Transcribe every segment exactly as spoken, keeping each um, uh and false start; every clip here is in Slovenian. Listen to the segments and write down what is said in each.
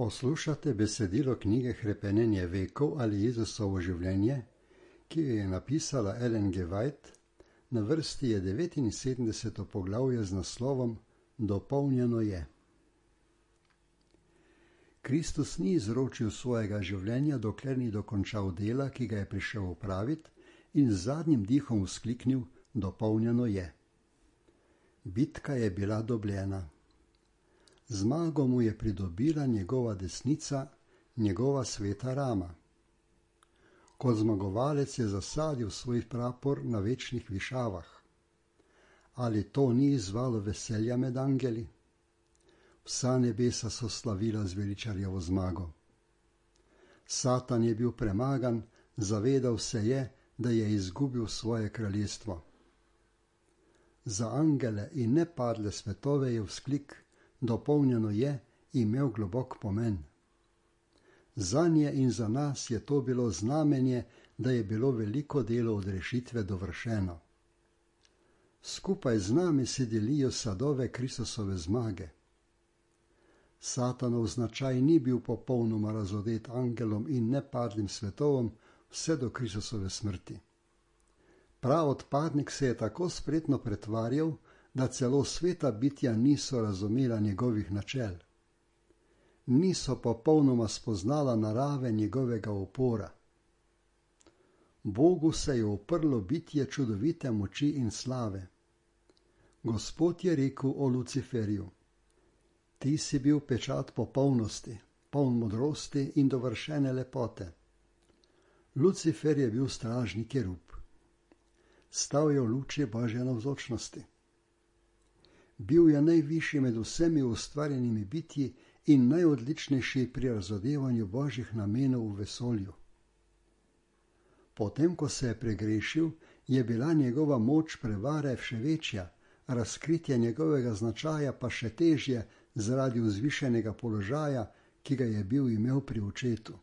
Poslušate besedilo knjige Hrepenenje vekov ali Jezusovo življenje, ki jo je napisala Ellen G. White. Na vrsti je devetinsedemdeseto poglavje z naslovom Dopolnjeno je. Kristus ni izročil svojega življenja, dokler ni dokončal dela, ki ga je prišel opraviti, in z zadnjim dihom vzkliknil: Dopolnjeno je. Bitka je bila dobljena. Zmago mu je pridobila njegova desnica, njegova sveta rama. Kot zmagovalec je zasadil svoj prapor na večnih višavah. Ali to ni izzvalo veselja med angeli? Vsa nebesa so slavila zveličarjevo zmago. Satan je bil premagan, zavedal se je, da je izgubil svoje kraljestvo. Za angele in nepadle svetove je vzklik: Dopolnjeno je, imel globok pomen. Zanje in za nas je to bilo znamenje, da je bilo veliko delo od rešitve dovršeno. Skupaj z nami si delijo sadove Kristusove zmage. Satanov značaj ni bil popolnoma razodet angelom in nepadlim svetovom vse do Kristusove smrti. Prav odpadnik se je tako spretno pretvarjal, da celo sveta bitja niso razumela njegovih načel. Niso popolnoma spoznala narave njegovega upora. Bogu se je uprlo bitje čudovite moči in slave. Gospod je rekel o Luciferju: Ti si bil pečat popolnosti, poln modrosti in dovršene lepote. Lucifer je bil stražni kerub. Stal je v luči Božje navzočnosti. Bil je najvišji med vsemi ustvarjenimi bitji in najodličnejši pri razodevanju Božjih namenov v vesolju. Potem, ko se je pregrešil, je bila njegova moč prevare še večja, razkritje njegovega značaja pa še težje zaradi vzvišenega položaja, ki ga je bil imel pri očetu.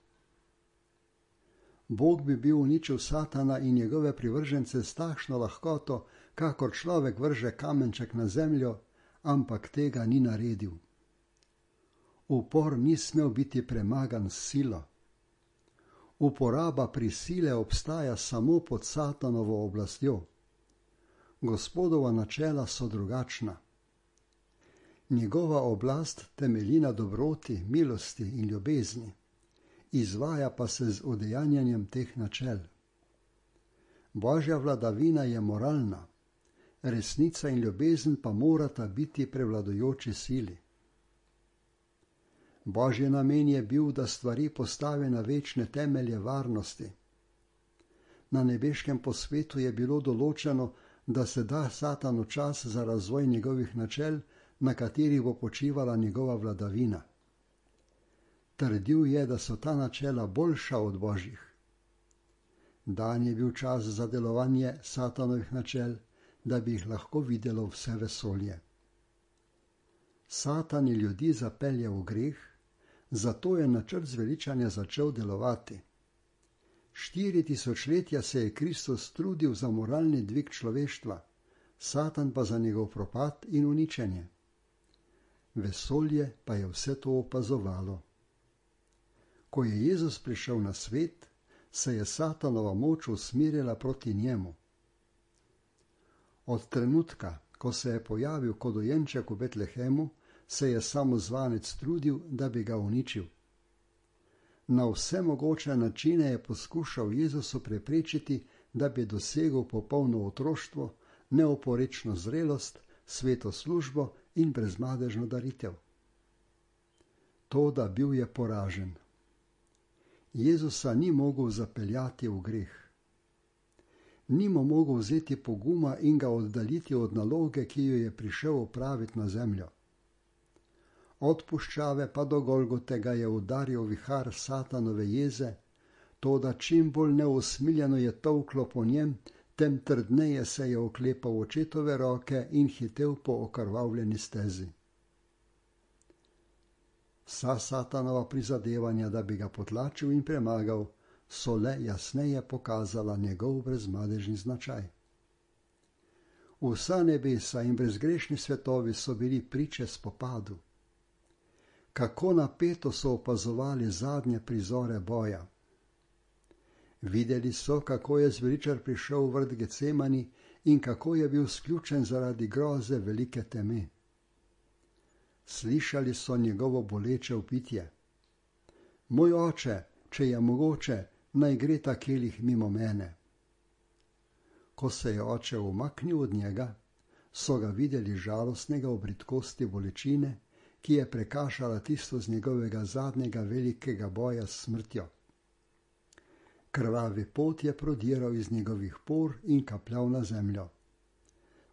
Bog bi bil uničil Satana in njegove privržence s takšno lahkoto, kakor človek vrže kamenček na zemljo, ampak tega ni naredil. Upor ni smel biti premagan s silo. Uporaba prisile obstaja samo pod Satanovo oblastjo. Gospodova načela so drugačna. Njegova oblast temelji na dobroti, milosti in ljubezni, izvaja pa se z udejanjanjem teh načel. Božja vladavina je moralna, resnica in ljubezen pa morata biti prevladujoči sili. Božji namen je bil, da stvari postavi na večne temelje varnosti. Na nebeškem posvetu je bilo določeno, da se da Satanu čas za razvoj njegovih načel, na katerih bo počivala njegova vladavina. Trdil je, da so ta načela boljša od Božjih. Dan je bil čas za delovanje Satanovih načel, da bi jih lahko videlo vse vesolje. Satan je ljudi zapeljal v greh, zato je načrt zveličanja začel delovati. Štiri tisočletja se je Kristus trudil za moralni dvig človeštva, Satan pa za njegov propad in uničenje. Vesolje pa je vse to opazovalo. Ko je Jezus prišel na svet, se je Satanova moč usmerila proti njemu. Od trenutka, ko se je pojavil kot dojenček v Betlehemu, se je samozvanec trudil, da bi ga uničil. Na vse mogoče načine je poskušal Jezusu preprečiti, da bi dosegel popolno otroštvo, neoporečno zrelost, sveto službo in brezmadežno daritev. Toda bil je poražen. Jezusa ni mogel zapeljati v greh. Ni mu mogel vzeti poguma in ga oddaljiti od naloge, ki jo je prišel opraviti na zemljo. Od puščave pa do Golgote ga je udaril vihar Satanove jeze, toda čim bolj neusmiljeno je tolklo po njem, tem trdneje se je oklepal očetove roke in hitel po okrvavljeni stezi. Vsa Satanova prizadevanja, da bi ga potlačil in premagal, so le jasneje pokazala njegov brezmadežni značaj. Vsa nebesa in brezgrešni svetovi so bili priče spopadu. kako napeto so opazovali zadnje prizore boja. Videli so, kako je zveličar prišel v vrt Gecemani in kako je bil sključen zaradi groze velike teme. Slišali so njegovo boleče vpitje: Moj oče, če je mogoče, naj gre ta kelih mimo mene. Ko se je oče umaknil od njega, so ga videli žalostnega v bridkosti bolečine, ki je prekašala tisto z njegovega zadnjega velikega boja s smrtjo. Krvavi pot je prodiral iz njegovih por in kapljal na zemljo.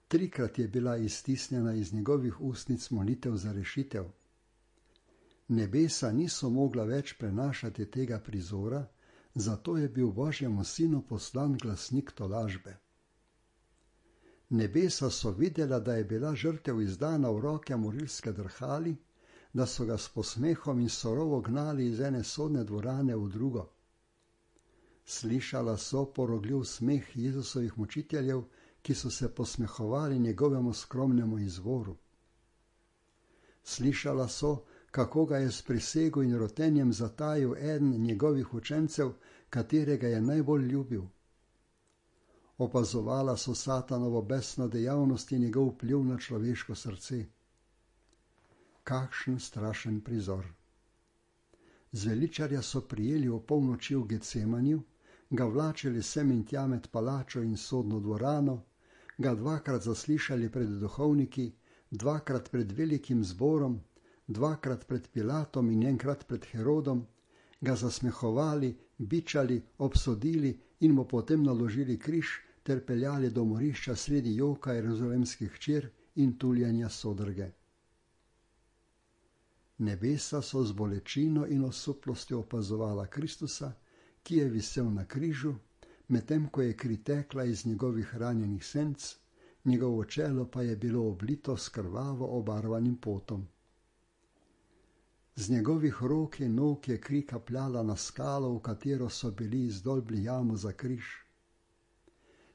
Trikrat je bila iztisnjena iz njegovih ustnic molitev za rešitev. Nebesa niso mogla več prenašati tega prizora, zato je bil Božjemu sinu poslan glasnik tolažbe. Nebesa so videla, da je bila žrtev izdana v roke morilske drhali, da so ga s posmehom in surovo gnali iz ene sodne dvorane v drugo. Slišala so porogljiv smeh Jezusovih mučiteljev, ki so se posmehovali njegovemu skromnemu izvoru. Slišala so, kako ga je s prisego in rotenjem zatajil eden njegovih učencev, katerega je najbolj ljubil. Opazovala so Satanovo besno dejavnost in njegov vpliv na človeško srce. Kakšen strašen prizor! Zveličarja so prijeli v polnoči v Gecemaniju, ga vlačili sem in tja med palačo in sodno dvorano, ga dvakrat zaslišali pred duhovniki, dvakrat pred velikim zborom, dvakrat pred Pilatom in enkrat pred Herodom, ga zasmehovali, bičali, obsodili in mu potem naložili križ ter peljali do morišča sredi joka jeruzalemskih hčer in tuljenja sodrge. Nebesa so z bolečino in osuplostjo opazovala Kristusa, ki je visel na križu, medtem ko je kri tekla iz njegovih ranjenih senc, njegovo čelo pa je bilo oblito s krvavo obarvanim potom. Z njegovih rok in nog je kri kapljala na skalo, v katero so bili izdolbli jamo za križ.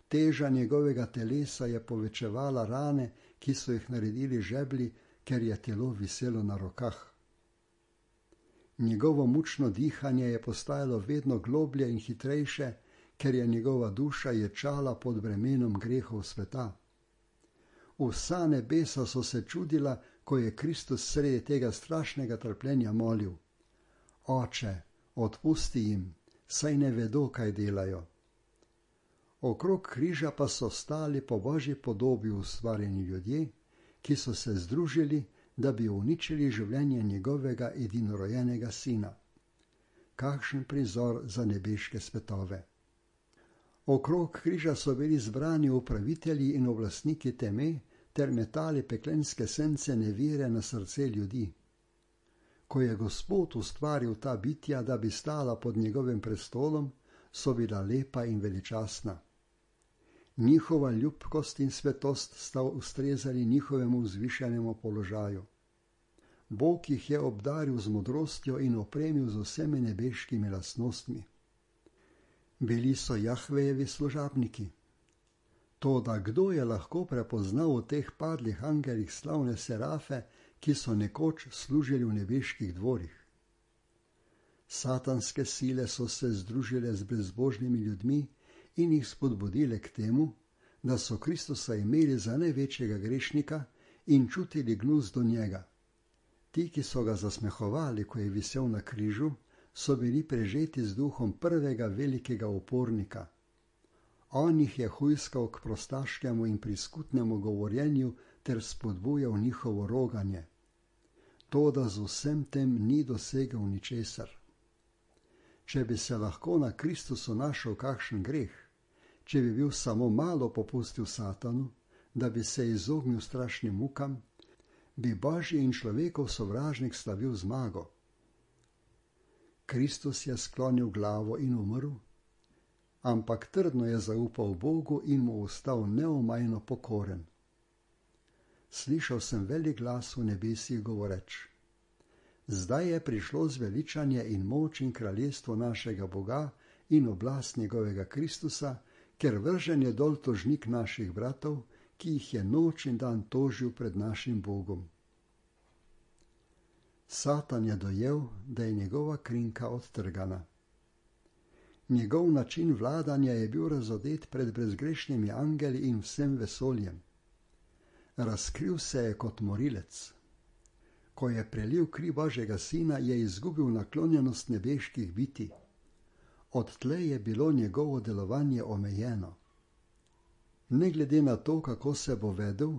Teža njegovega telesa je povečevala rane, ki so jih naredili žebli, ker je telo viselo na rokah. Njegovo mučno dihanje je postajalo vedno globlje in hitrejše, ker je njegova duša ječala pod bremenom grehov sveta. Vsa nebesa so se čudila, ko je Kristus sredi tega strašnega trpljenja molil: Oče, odpusti jim, saj ne vedo, kaj delajo. Okrog križa pa so stali po Božji podobi ustvarjeni ljudje, ki so se združili, da bi uničili življenje njegovega edinorojenega sina. Kakšen prizor za nebeške svetove! Okrog križa so bili zbrani upravitelji in oblastniki teme ter metali peklenske sence nevire na srce ljudi. Ko je Gospod ustvaril ta bitja, da bi stala pod njegovim prestolom, so bila lepa in veličastna. Njihova ljubkost in svetost sta ustrezali njihovemu vzvišenemu položaju. Bog jih je obdaril z modrostjo in opremil z vsemi nebeškimi lastnostmi. Bili so Jahvejevi služabniki. Toda kdo je lahko prepoznal v teh padlih angelih slavne serafe, ki so nekoč služili v nebeških dvorih? Satanske sile so se združile z brezbožnimi ljudmi in jih spodbudile k temu, da so Kristusa imeli za največjega grešnika in čutili gnus do njega. Ti, ki so ga zasmehovali, ko je visel na križu, so bili prežeti z duhom prvega velikega upornika. On jih je hujskal k prostaškemu in priskutnemu govorjenju ter spodbujal njihovo roganje. Toda z vsem tem ni dosegel ničesar. Če bi se lahko na Kristusu našel kakšen greh, če bi bil samo malo popustil Satanu, da bi se izognil strašnim mukam, bi Božji in človekov sovražnik slavil zmago. Kristus je sklonil glavo in umrl, ampak trdno je zaupal Bogu in mu ostal neomajno pokoren. Slišal sem velik glas v nebesih govoreč: Zdaj je prišlo zveličanje in moč in kraljestvo našega Boga in oblast njegovega Kristusa, ker vržen je dol tožnik naših bratov, ki jih je noč in dan tožil pred našim Bogom. Satan je dojel, da je njegova krinka odtrgana. Njegov način vladanja je bil razodet pred brezgrešnimi angeli in vsem vesoljem. Razkril se je kot morilec. Ko je prelil kri Božjega sina, je izgubil naklonjenost nebeških bitij. Odtlej je bilo njegovo delovanje omejeno. Ne glede na to, kako se bo vedel,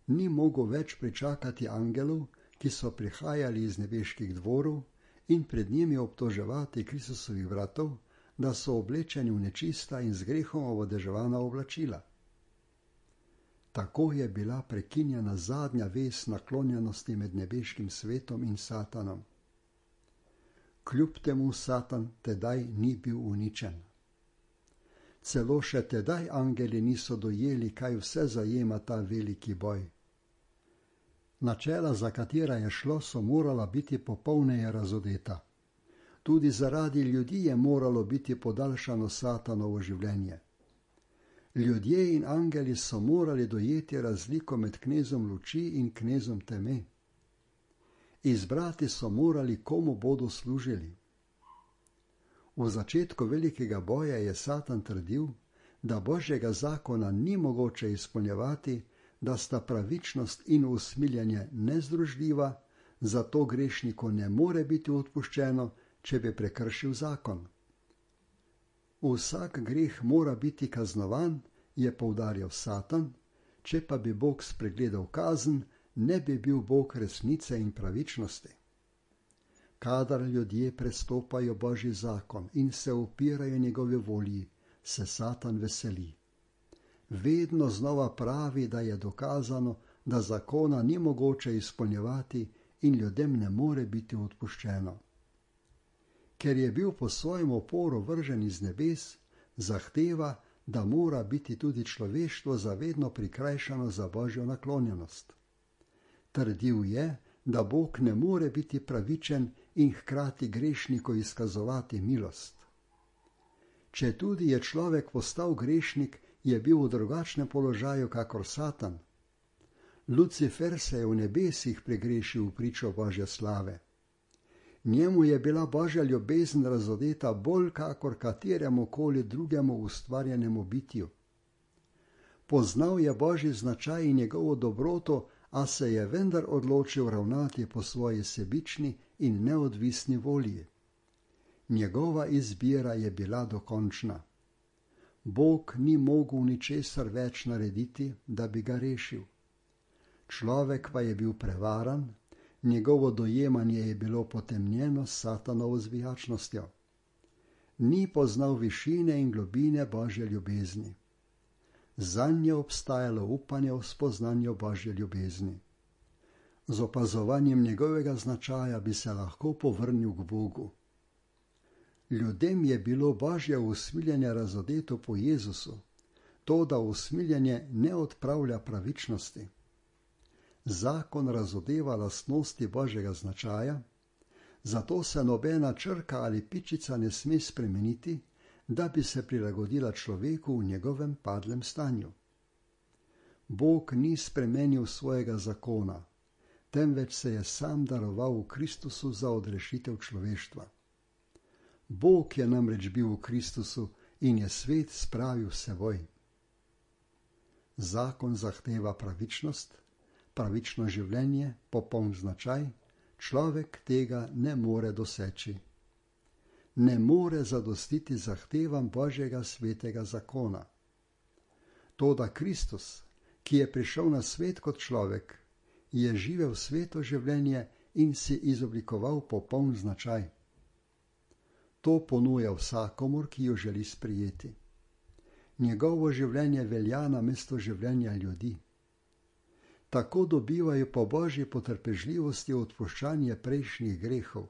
ni mogel več pričakati angelov, ki so prihajali iz nebeških dvorov, in pred njimi obtoževati Kristusovih bratov, da so oblečeni v nečista in z grehom ovodeževana oblačila. Tako je bila prekinjena zadnja vez naklonjenosti med nebeškim svetom in Satanom. Kljub temu Satan tedaj ni bil uničen. Celo še tedaj angeli niso dojeli, kaj vse zajema ta veliki boj. Načela, za katera je šlo, so morala biti popolneje razodeta. Tudi zaradi ljudi je moralo biti podaljšano Satanovo življenje. Ljudje in angeli so morali dojeti razliko med knezom luči in knezom teme. Izbrati so morali, komu bodo služili. V začetku velikega boja je Satan trdil, da Božjega zakona ni mogoče izpolnjevati, da sta pravičnost in usmiljenje nezdružljiva, zato grešniku ne more biti odpuščeno, če bi prekršil zakon. Vsak greh mora biti kaznovan, je poudarjal Satan, če pa bi Bog spregledal kazen, ne bi bil Bog resnice in pravičnosti. Kadar ljudje prestopajo Božji zakon in se upirajo njegove volji, se Satan veseli. Vedno znova pravi, da je dokazano, da zakona ni mogoče izpolnjevati in ljudem ne more biti odpuščeno. Ker je bil po svojem oporu vržen iz nebes, zahteva, da mora biti tudi človeštvo zavedno prikrajšano za Božjo naklonjenost. Trdil je, da Bog ne more biti pravičen in hkrati grešniku izkazovati milost. Četudi je človek postal grešnik, je bil v drugačnem položaju kakor Satan. Lucifer se je v nebesih pregrešil v pričo Božje slave. Njemu je bila Božja ljubezen razodeta bolj kakor kateremu koli drugemu ustvarjenemu bitju. Poznal je Božji značaj in njegovo dobroto, a se je vendar odločil ravnati po svoji sebični in neodvisni volji. Njegova izbira je bila dokončna. Bog ni mogel ničesar več narediti, da bi ga rešil. Človek pa je bil prevaran, njegovo dojemanje je bilo potemnjeno s Satanovo zvijačnostjo. Ni poznal višine in globine Božje ljubezni. Zanj je obstajalo upanje v spoznanju Božje ljubezni. Z opazovanjem njegovega značaja bi se lahko povrnil k Bogu. Ljudem je bilo Božje usmiljenje razodeto po Jezusu, to, da usmiljenje ne odpravlja pravičnosti. Zakon razodeva lastnosti Božjega značaja, zato se nobena črka ali pičica ne sme spremeniti, da bi se prilagodila človeku v njegovem padlem stanju. Bog ni spremenil svojega zakona, temveč se je sam daroval v Kristusu za odrešitev človeštva. Bog je namreč bil v Kristusu in je svet spravil s seboj. Zakon zahteva pravičnost, pravično življenje, popoln značaj, človek tega ne more doseči. Ne more zadostiti zahtevam Božjega svetega zakona. Toda Kristus, ki je prišel na svet kot človek, je živel sveto življenje in si izoblikoval popoln značaj. To ponuja vsakomur, ki jo želi sprijeti. Njegovo življenje velja namesto življenja ljudi. Tako dobivajo po Božji potrpežljivosti odpuščanje prejšnjih grehov.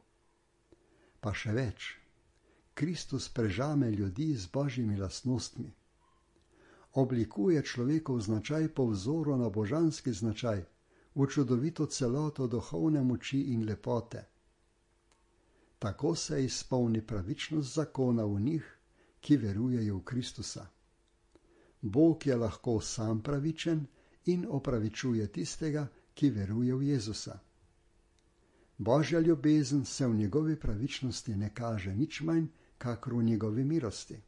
Pa še več, Kristus prežame ljudi z Božjimi lastnostmi. Oblikuje človekov značaj po vzoru na božanski značaj, v čudovito celoto duhovne moči in lepote. Tako se izpolni pravičnost zakona v njih, ki verujejo v Kristusa. Bog je lahko sam pravičen in opravičuje tistega, ki veruje v Jezusa. Božja ljubezen se v njegovi pravičnosti ne kaže nič manj, kakor v njegovi milosti.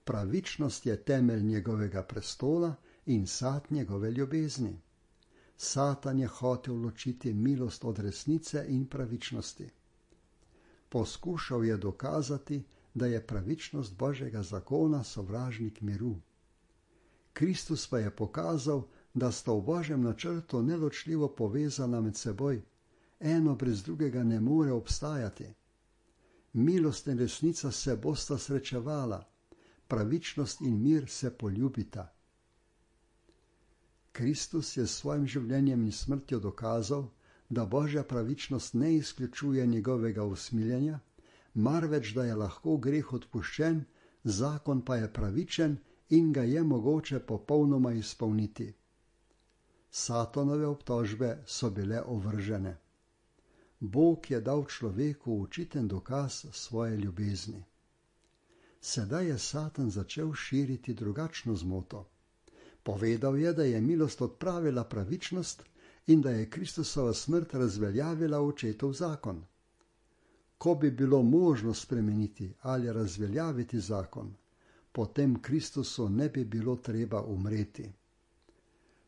Pravičnost je temelj njegovega prestola in sad njegove ljubezni. Satan je hotel ločiti milost od resnice in pravičnosti. Poskušal je dokazati, da je pravičnost Božjega zakona sovražnik miru. Kristus pa je pokazal, da sta v Božjem načrtu neločljivo povezana med seboj, eno brez drugega ne more obstajati. Milost in resnica se bosta srečevala, pravičnost in mir se poljubita. Kristus je s svojim življenjem in smrtjo dokazal, da Božja pravičnost ne izključuje njegovega usmiljenja, marveč da je lahko greh odpuščen, zakon pa je pravičen in ga je mogoče popolnoma izpolniti. Satanove obtožbe so bile ovržene. Bog je dal človeku očiten dokaz svoje ljubezni. Sedaj je Satan začel širiti drugačno zmoto. Povedal je, da je milost odpravila pravičnost in da je Kristusova smrt razveljavila očetov zakon. Ko bi bilo možno spremeniti ali razveljaviti zakon, potem Kristusu ne bi bilo treba umreti.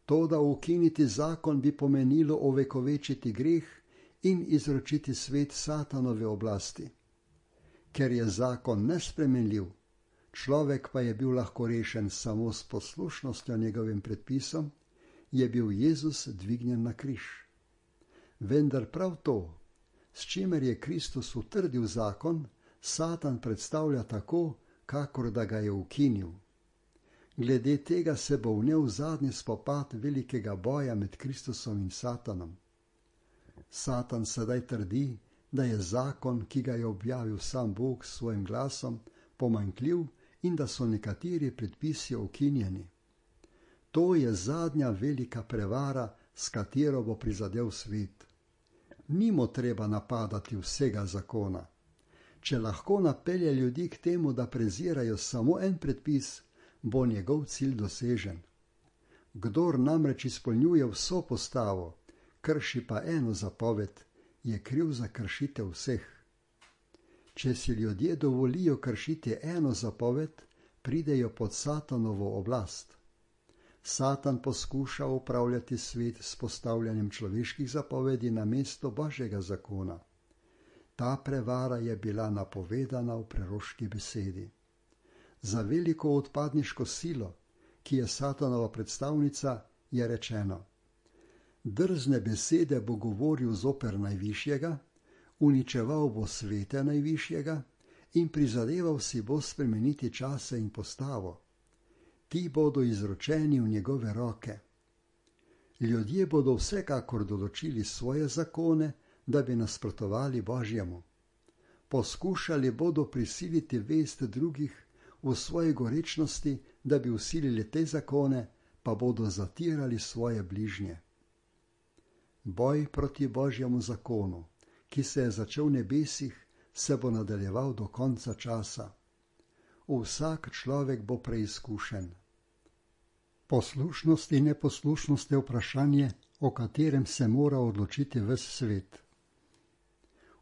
To, da ukiniti zakon, bi pomenilo ovekovečiti greh in izročiti svet Satanove oblasti. Ker je zakon nespremenljiv, človek pa je bil lahko rešen samo s poslušnostjo njegovim predpisom, je bil Jezus dvignjen na križ. Vendar prav to, s čimer je Kristus utrdil zakon, Satan predstavlja tako, kakor da ga je ukinil. Glede tega se bo vnel zadnji spopad velikega boja med Kristusom in Satanom. Satan sedaj trdi, da je zakon, ki ga je objavil sam Bog s svojim glasom, pomanjkljiv in da so nekateri predpisi ukinjeni. To je zadnja velika prevara, s katero bo prizadel svet. Nimo treba napadati vsega zakona. Če lahko napelje ljudi k temu, da prezirajo samo en predpis, bo njegov cilj dosežen. Kdor namreč izpolnjuje vso postavo, krši pa eno zapoved, je kriv za kršitev vseh. Če si ljudje dovolijo kršiti eno zapoved, pridejo pod Satanovo oblast. Satan poskuša upravljati svet s postavljanjem človeških zapovedi na mesto Božjega zakona. Ta prevara je bila napovedana v preroški besedi. Za veliko odpadniško silo, ki je Satanova predstavnica, je rečeno: drzne besede bo govoril zoper najvišjega, uničeval bo svete najvišjega in prizadeval si bo spremeniti čase in postavo. Ti bodo izročeni v njegove roke. Ljudje bodo vsekakor določili svoje zakone, da bi nasprotovali Božjemu. Poskušali bodo prisiliti vest drugih v svoji gorečnosti, da bi vsilili te zakone, pa bodo zatirali svoje bližnje. Boj proti Božjemu zakonu, ki se je začel v nebesih, se bo nadaljeval do konca časa. Vsak človek bo preizkušen. Poslušnost in neposlušnost je vprašanje, o katerem se mora odločiti ves svet.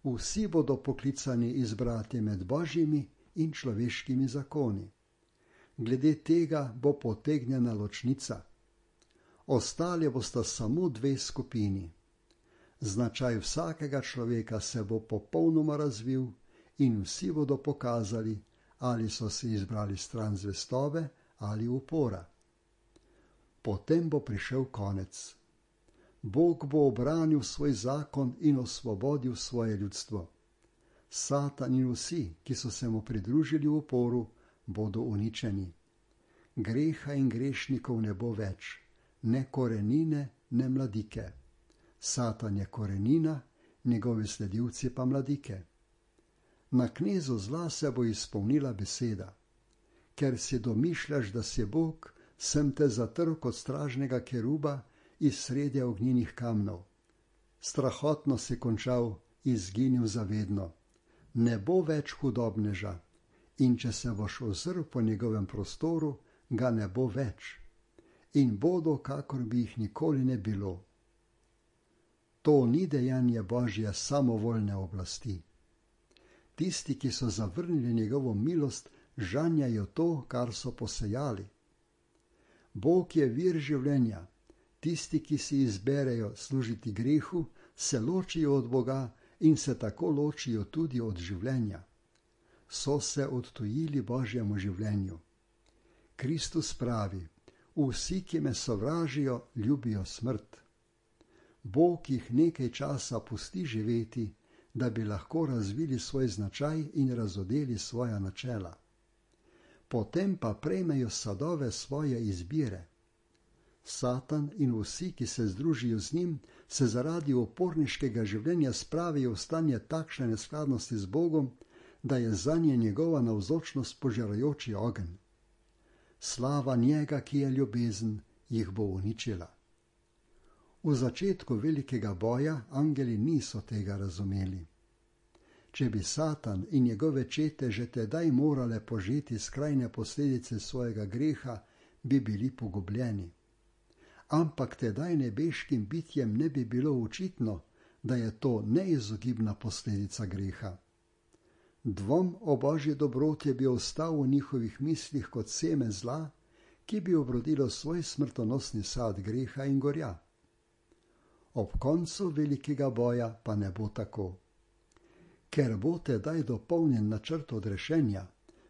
Vsi bodo poklicani izbrati med Božjimi in človeškimi zakoni. Glede tega bo potegnjena ločnica. Ostali bosta samo dve skupini. Značaj vsakega človeka se bo popolnoma razvil in vsi bodo pokazali, ali so si izbrali stran zvestobe ali upora. Potem bo prišel konec. Bog bo obranil svoj zakon in osvobodil svoje ljudstvo. Satan in vsi, ki so se mu pridružili v uporu, bodo uničeni. Greha in grešnikov ne bo več, ne korenine, ne mladike. Satan je korenina, njegovi sledilci pa mladike. Na knezu zla se bo izpolnila beseda: ker si domišljaš, da si Bog, sem te zatrl kot stražnega keruba iz sredja ognjenih kamnov. Strahotno si končal, izginil zavedno. Ne bo več hudobneža, in če se boš ozrl po njegovem prostoru, ga ne bo več. In bodo, kakor bi jih nikoli ne bilo. To ni dejanje Božje samovoljne oblasti. Tisti, ki so zavrnili njegovo milost, žanjajo to, kar so posejali. Bog je vir življenja. Tisti, ki si izberejo služiti grehu, se ločijo od Boga in se tako ločijo tudi od življenja. So se odtujili Božjemu življenju. Kristus pravi: vsi, ki me sovražijo, ljubijo smrt. Bog jih nekaj časa pusti živeti, da bi lahko razvili svoj značaj in razodeli svoja načela. Potem pa prejmejo sadove svoje izbire. Satan in vsi, ki se združijo z njim, se zaradi uporniškega življenja spravijo v stanje takšne neskladnosti z Bogom, da je zanje njegova navzočnost požarajoči ogenj. Slava njega, ki je ljubezen, jih bo uničila. V začetku velikega boja angeli niso tega razumeli. Če bi Satan in njegove čete že tedaj morale požeti skrajne posledice svojega greha, bi bili pogubljeni. Ampak tedaj nebeškim bitjem ne bi bilo očitno, da je to neizogibna posledica greha. Dvom o Božji dobroti bi ostal v njihovih mislih kot seme zla, ki bi obrodilo svoj smrtonosni sad greha in gorja. Ob koncu velikega boja pa ne bo tako. Ker bo tedaj dopolnjen načrt odrešenja,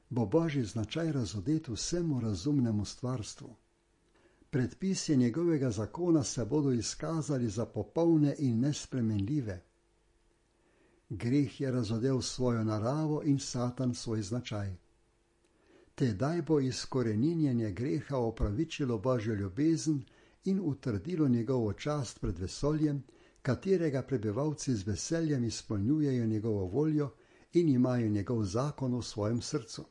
bo Božji značaj razodet vsemu razumnemu stvarstvu. Predpisi njegovega zakona se bodo izkazali za popolne in nespremenljive. Greh je razodel svojo naravo in Satan svoj značaj. Tedaj bo izkoreninjenje greha opravičilo Božjo ljubezen in utrdilo njegovo čast pred vesoljem, katerega prebivalci z veseljem izpolnjujejo njegovo voljo in imajo njegov zakon v svojem srcu.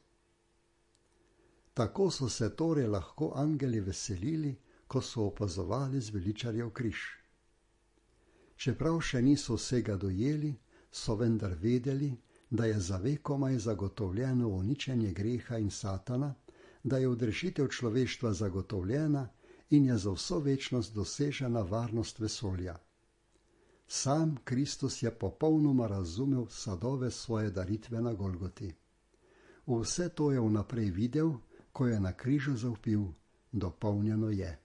Tako so se torej lahko angeli veselili, ko so opazovali zveličarjev križ. Čeprav še niso vsega dojeli, so vendar vedeli, da je za vekomaj zagotovljeno uničenje greha in Satana, da je odrešitev človeštva zagotovljena in je za vso večnost dosežena varnost vesolja. Sam Kristus je popolnoma razumel sadove svoje daritve na Golgoti. Vse to je vnaprej videl, ko je na križu zavpil: dopolnjeno je.